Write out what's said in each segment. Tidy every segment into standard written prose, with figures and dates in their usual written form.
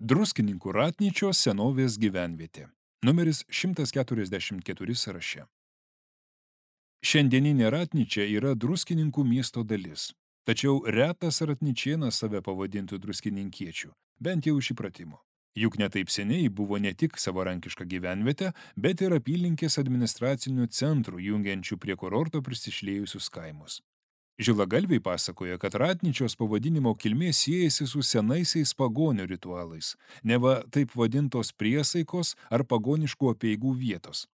Druskininkų Ratnyčios senovės gyvenvietė. Numeris 144 sąraše. Šiandieninė Ratnyčia yra Druskininkų miesto dalis. Tačiau retas ratnyčėnas save pavadintų druskininkiečių, bent jau iš įpratimo. Juk netaip seniai buvo ne tik savarankiška gyvenvietė, bet ir apylinkės administracinių centrų jungiančių prie kurorto prisišlėjusius kaimus. Žilagalviai pasakoja, kad Ratnyčios pavadinimo kilmė siejasi su senaisiais pagonių ritualais, neva taip vadintos priesaikos ar pagoniškų apeigų vietos.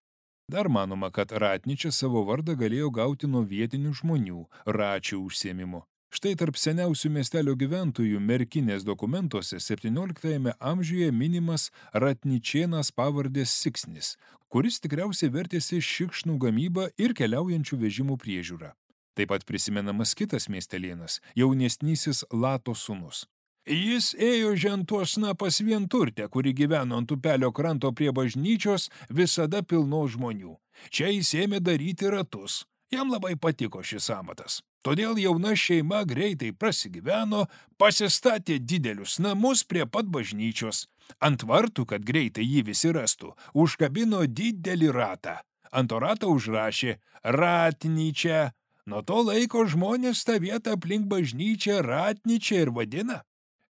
Dar manoma, kad Ratnyčia savo vardą galėjo gauti nuo vietinių žmonių, račių užsiėmimo. Štai tarp seniausių miestelio gyventojų Merkinės dokumentuose 17 amžiuje minimas Ratnyčėnas pavardės Siksnis, kuris tikriausiai vertėsi šikšnų gamybą ir keliaujančių vežimų priežiūrą. Taip pat prisimenamas kitas miestelėnas, jaunesnysis Lato sūnus. Jis ėjo žentuosna pas vienturtę, kuri gyveno ant upelio kranto prie bažnyčios, visada pilno žmonių. Čia jis ėmė daryti ratus. Jam labai patiko šis amatas. Todėl jauna šeima greitai prasigyveno, pasistatė didelius namus prie pat bažnyčios. Ant vartų, kad greitai jį visi rastų, užkabino didelį ratą. Ant to rato užrašė Ratnyčia. Nuo to laiko žmonės tą vietą aplink bažnyčią Ratnyčia ir vadina.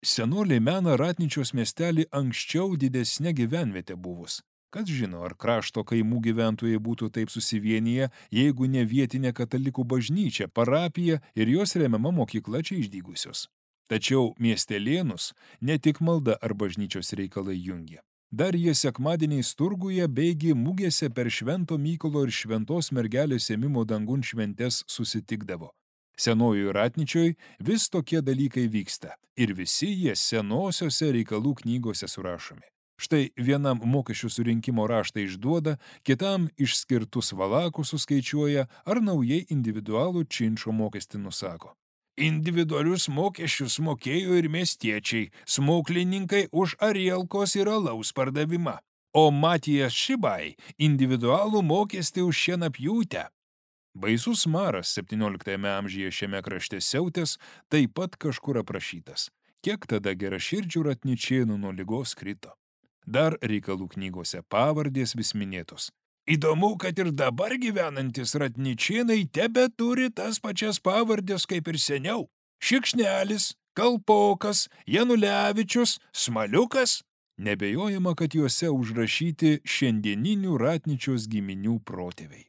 Senoliai mena Ratnyčios miestelį anksčiau didesnė gyvenvietė buvus. Kas žino, ar krašto kaimų gyventojai būtų taip susivienyje, jeigu ne vietinė katalikų bažnyčia, parapija ir jos remiama mokykla čia išdygusios. Tačiau miestelėnus ne tik malda ar bažnyčios reikalai jungia. Dar jie sekmadieniais turguje beigi mugėse per Švento Mykolo ir Šventos mergelės ėmimo dangun šventes susitikdavo. Senojoje Ratnyčioj vis tokie dalykai vyksta ir visi jie senosiose reikalų knygose surašomi. Štai vienam mokesčių surinkimo raštą išduoda, kitam išskirtus valakus suskaičiuoja ar naujai individualų činšo mokestį nusako. Individualius mokesčius mokėjo ir miestiečiai, smuklininkai už arielkos ir alaus pardavimą, o Matijas Šibai individualų mokestį už šienapjūtę. Baisus maras 17 amžiuje šiame krašte siautęs taip pat kažkur aprašytas. Kiek tada geraširdžių ratnyčėnų nuo ligos krito. Dar reikalų knygose pavardės vis minėtos. Įdomu, kad ir dabar gyvenantis ratnyčėnai tebeturi tas pačias pavardės kaip ir seniau. Šikšnelis, Kalpokas, Janulevičius, Smaliukas. Nebejojama, kad juose užrašyti šiandieninių Ratnyčios giminių protėviai.